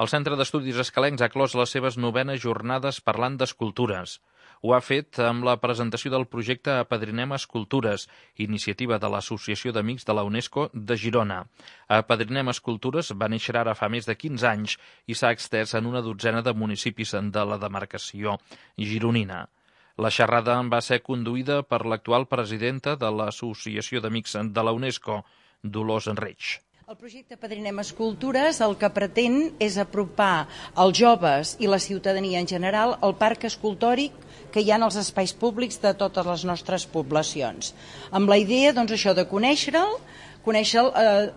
El Centre d'Estudis Escalencs ha clos les seves 9enes jornades parlant d'escultures. Ho ha fet amb la presentació del projecte Apadrinem Escultures, iniciativa de l'Associació d'Amics de la UNESCO de Girona. Apadrinem Escultures va néixer ara fa més de 15 anys i s'ha extès en una dotzena de municipis de la demarcació gironina. La xerrada va ser conduïda per l'actual presidenta de l'Associació d'Amics de la UNESCO, Dolors Reig. El projecte Apadrinem Escultures el que pretén és apropar els joves i la ciutadania en general al parc escultòric que hi ha en els espais públics de totes les nostres poblacions. Amb la idea, doncs, això de conèixer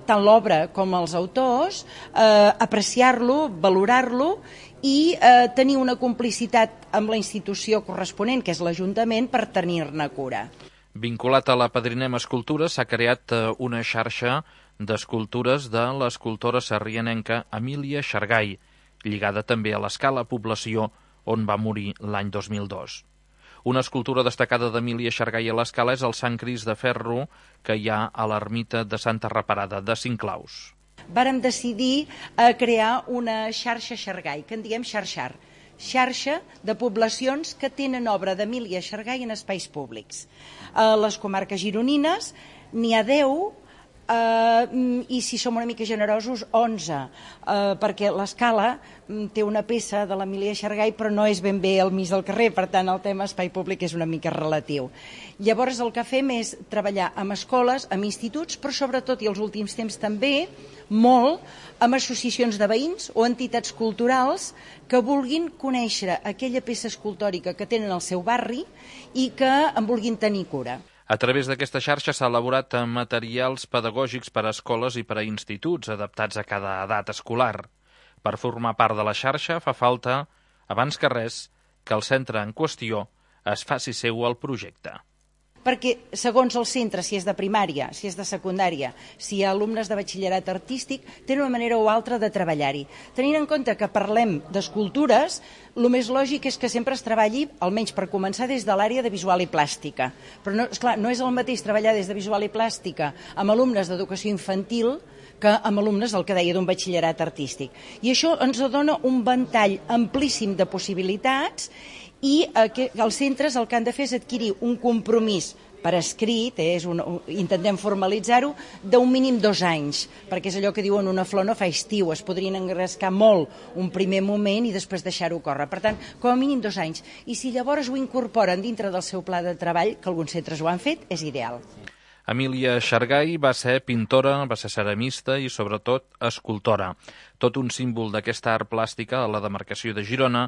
tant l'obra com els autors, apreciar-lo, valorar-lo i tenir una complicitat amb la institució corresponent, que és l'Ajuntament, per tenir-ne cura. Vinculat a l'Apadrinem Escultures s'ha creat una xarxa d'escultures de l'escultora sarrianenca Emília Xargay, lligada també a l'Escala Població, on va morir l'any 2002. Una escultura destacada d'Emília Xargay a l'Escala és el Sant Crist de ferro que hi ha a l'ermita de Santa Reparada de Cinclaus. Vàrem decidir crear una xarxa Xargay, que en diem xarxar, xarxa de poblacions que tenen obra d'Emília Xargay en espais públics. A les comarques gironines n'hi ha 10, i si som una mica generosos 11, perquè l'Escala té una peça de l'Emília Xargay però no és ben bé al mig del carrer, per tant el tema espai públic és una mica relatiu. Llavors el que fem és treballar amb escoles, amb instituts, però sobretot i els últims temps també molt amb associacions de veïns o entitats culturals que vulguin conèixer aquella peça escultòrica que tenen al seu barri i que en vulguin tenir cura. A través d'aquesta xarxa s'ha elaborat materials pedagògics per a escoles i per a instituts adaptats a cada edat escolar. Per formar part de la xarxa fa falta, abans que res, que el centre en qüestió es faci seu el projecte. Perquè, segons el centre, si és de primària, si és de secundària, si hi ha alumnes de batxillerat artístic, tenen una manera o altra de treballar-hi. Tenint en compte que parlem d'escultures, el més lògic és que sempre es treballi, almenys per començar, des de l'àrea de visual i plàstica. Però no, esclar, no és el mateix treballar des de visual i plàstica amb alumnes d'educació infantil que amb alumnes, el que deia, d'un batxillerat artístic. I això ens dona un ventall amplíssim de possibilitats i els centres el que han de fer és adquirir un compromís per escrit, intentem formalitzar-ho, d'un mínim 2 anys, perquè és allò que diuen una flor no fa estiu, es podrien engrescar molt un primer moment i després deixar-ho córrer. Per tant, com a mínim 2 anys. I si llavors ho incorporen dintre del seu pla de treball, que alguns centres ho han fet, és ideal. Emília Xargay va ser pintora, va ser ceramista i, sobretot, escultora. Tot un símbol d'aquesta art plàstica a la demarcació de Girona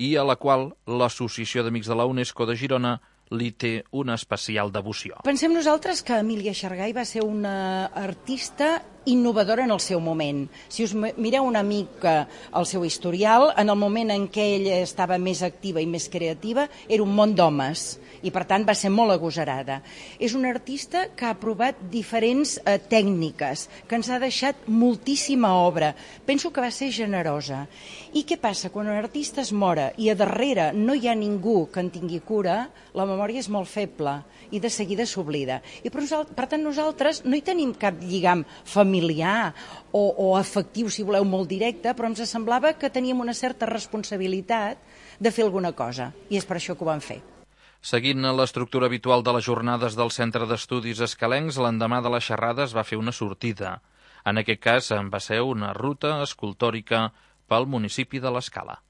i a la qual l'Associació d'Amics de la UNESCO de Girona li té una especial devoció. Pensem nosaltres que Emília Xargay va ser una artista innovadora en el seu moment. Si us mireu una mica el seu historial, en el moment en què ella estava més activa i més creativa, era un món d'homes i, per tant, va ser molt agosarada. És una artista que ha provat diferents tècniques, que ens ha deixat moltíssima obra. Penso que va ser generosa. I què passa? Quan un artista es mora i a darrere no hi ha ningú que en tingui cura, la memòria és molt feble i de seguida s'oblida. I per tant nosaltres no hi tenim cap lligam familiar o afectiu, si voleu, molt directe, però ens semblava que teníem una certa responsabilitat de fer alguna cosa i és per això que ho vam fer. Seguint l'estructura habitual de les jornades del Centre d'Estudis Escalencs, l'endemà de la xerrada es va fer una sortida. En aquest cas va ser una ruta escultòrica pel municipi de l'Escala.